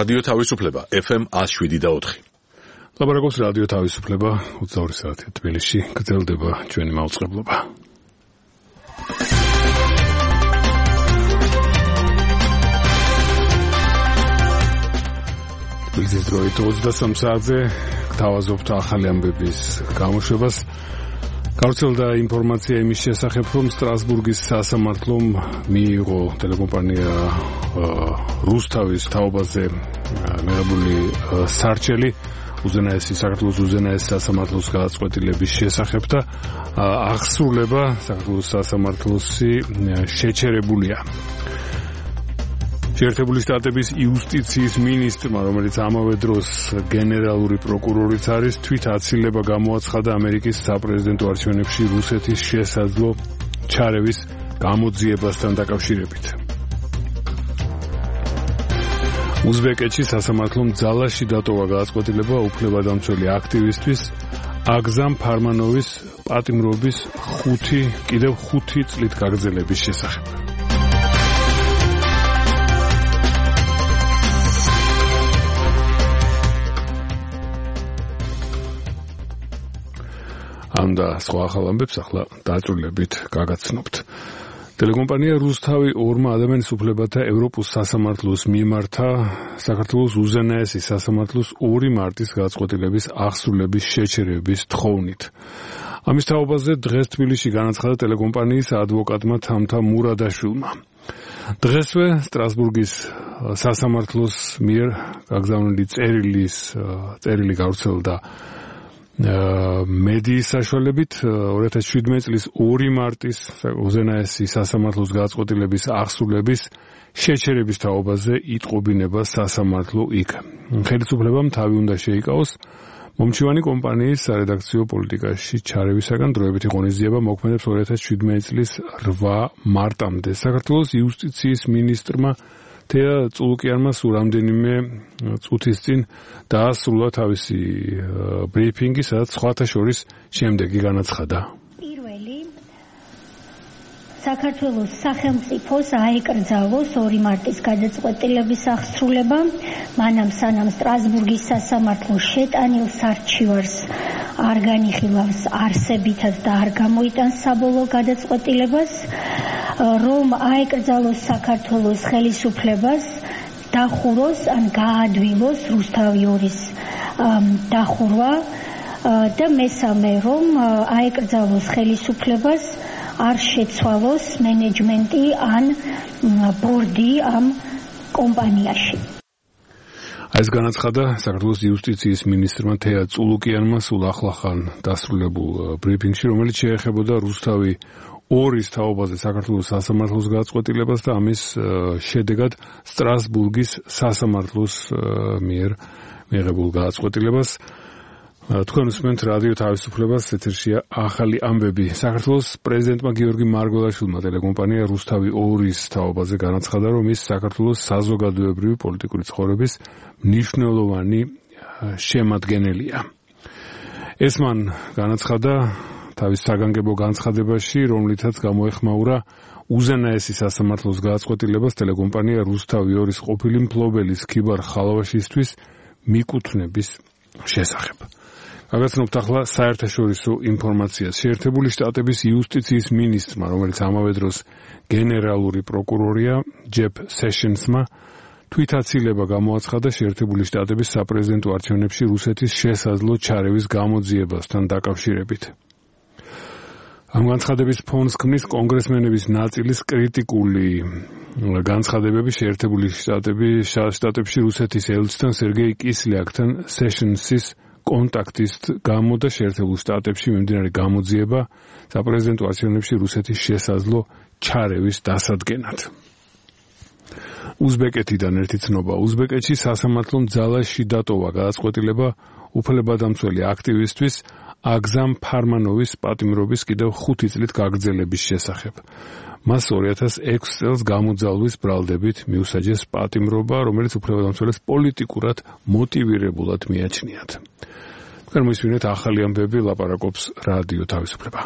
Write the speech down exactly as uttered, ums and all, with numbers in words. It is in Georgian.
რადიო თავისუფლება ეფ ემ one oh seven და four. ლაპარაკობს რადიო თავისუფლება ოცდაორი საათი თბილისში გრძელდება ჩვენი მაუწყებლობა. თბილისის დროით ოცდასამ საათზე გთავაზობთ ახალი ამბების გამოშვებას. გავრცელდა ინფორმაცია იმის შესახებ, რომ სტრასბურგის სასამართლომ მიიღო ტელეკომპანია რუსთავის თაობაზე მიღებული სარჩელი უზენაესი საქართველოს უზენაეს სასამართლოს გადაწყვეტილების შესახებ და აღსრულება საქართველოს სასამართლოსი შეჩერებულია. შეერთებული შტატების იუსტიციის მინისტრმა, რომელიც ამავე დროს გენერალური პროკურორიც არის, თვით აცილება გამოაცხადა ამერიკის საპრეზიდენტო არჩევნებში რუსეთის შესაძლო ჩარევის გამოძიებასთან დაკავშირებით. უზბეკეთში სასამართლომ ძალაში დატოვა გადაწყვეტილება უფლებადამცველი აქტივისტვის აგზამ ფარმანოვის პატიმრობის ხუთი კიდევ ხუთი წლით გაგრძელების შესახებ. ამ და სხვა ახალ ამბებს ახლა დაწვრილებით გაგაცნობთ. ტელეკომპანია რუსთავი ორმა ადამიანის უფლებათა ევროპულ სასამართლოს მიმართა საქართველოს უზენაესი სასამართლოს ორი მარტის გადაწყვეტილების აღსრულების შეჩერების თხოვნით. ამის თაობაზე დღეს თბილისში განაცხადა ტელეკომპანიის ადვოკატმა თამთა მურადაშვილმა. დღესვე სტრასბურგის სასამართლოს მიერ გაგზავნილი წერილის წერილი გავრცელდა მედიის საშუალებით ორი ათას შვიდმეტი წლის ორი მარტის უზენაესი სასამართლოს გადაწყვეტილების აღსრულების შეჩერების თაობაზე იტყობინება სასამართლო იქ. ხელისუფლებამ თავი უნდა შეიკავოს მომჩივანი კომპანიის სარედაქციო პოლიტიკაში ჩარევისაგან დროებითი ღონისძიება მოქმედებს ორი ათას შვიდმეტი წლის რვა მარტამდე. საქართველოს იუსტიციის მინისტრმა თეა წულუკიანმა სულ რამდენიმე წუთის წინ დაასრულა თავისი ბრიფინგი, სადაც სხვათა შორის შემდეგი განაცხადა. პირველი საქართველოს სახელმწიფოს აეკრძალოს ორი მარტის გადაწყვეტილების აღსრულება, მანამ სანამ სტრასბურგის სასამართლო შეტანილ სარჩივარს არ განიხილავს არსებითად და არ გამოიტანს საბოლოო გადაწყვეტილებას, რომ აეკრძალოს საქართველოს ხელისუფლებას დახუროს ან გაადვილოს რუსთავი ორის დახურვა და მესამე რომ აეკრძალოს ხელისუფლებას არ შეცვალოს მენეჯმენტი ან ბორდი ამ კომპანიაში. ეს განაცხადა საქართველოს იუსტიციის მინისტრმა თეა წულუკიანმა სულ ახლახან დასრულებულ ბრიფინგში, რომელიც შეეხებოდა რუსთავი ორის თაობაზე საქართველოს სასამართლოს გადაწყვეტილებას და ამის შედეგად სტრასბურგის სასამართლოს მიერ მიღებულ გადაწყვეტილებას. თქვენ უსმენთ რადიო თავისუფლებას, ეთერშია ახალი ამბები. საქართველოს პრეზიდენტმა გიორგი მარგველაშვილმა ტელეკომპანია რუსთავი ორის თაობაზე განაცხადა, რომ ის საქართველოს საზოგადოებრივი პოლიტიკური ცხოვრების მნიშვნელოვანი შემადგენელია. ეს მან განაცხადა თავის საგანგებო განცხადებაში, რომლითაც გამოეხმაურა უზენაესი სასამართლოს გადაწყვეტილებას ტელეკომპანია რუსთავი ორის ყოფილი მფლობელის ქიბარ ხალავაშისთვის მიკუთვნების შესახებ. გაგაცნობთ ახლა საერთაშორისო ინფორმაციას. შეერთებული შტატების იუსტიციის მინისტრმა, რომელიც ამავე დროს გენერალური პროკურორია, ჯეფ სეშენსმა თვითაცილება გამოაცხადა შეერთებული შტატების საპრეზიდენტო არჩევნებში რუსეთის შესაძლო ჩარევის გამოძიებასთან დაკავშირებით. ამ განცხადების ფონს ქმნის კონგრესმენების ნაწილის კრიტიკული განცხადებები შეერთებული შტატების შტატებში რუსეთის ელჩთან სერგეი კისლიაკთან სეშენსის კონტაქტის გამო და შეერთებულ შტატებში მიმდინარე გამოძიება საპრეზიდენტო არჩევნებში რუსეთის შესაძლო ჩარევის დასადგენად. უზბეკეთიდან ერთი ცნობა. უზბეკეთში სასამართლომ ძალაში დატოვა გადაწყვეტილება უფლებადამცველი აქტივისტვის აგზამ ფარმანოვის პატიმრობის კიდევ ხუთი წლით გაგრძელების შესახებ. მას ორი ათას ექვსი წელს გამოძალვის ბრალდებით მიუსაჯეს პატიმრობა, რომელიც უფლებადამცველს პოლიტიკურად მოტივირებულად მიაჩნიათ. თქვენ მოისმინეთ ახალი ამბები, ლაპარაკობს რადიო თავისუფლება.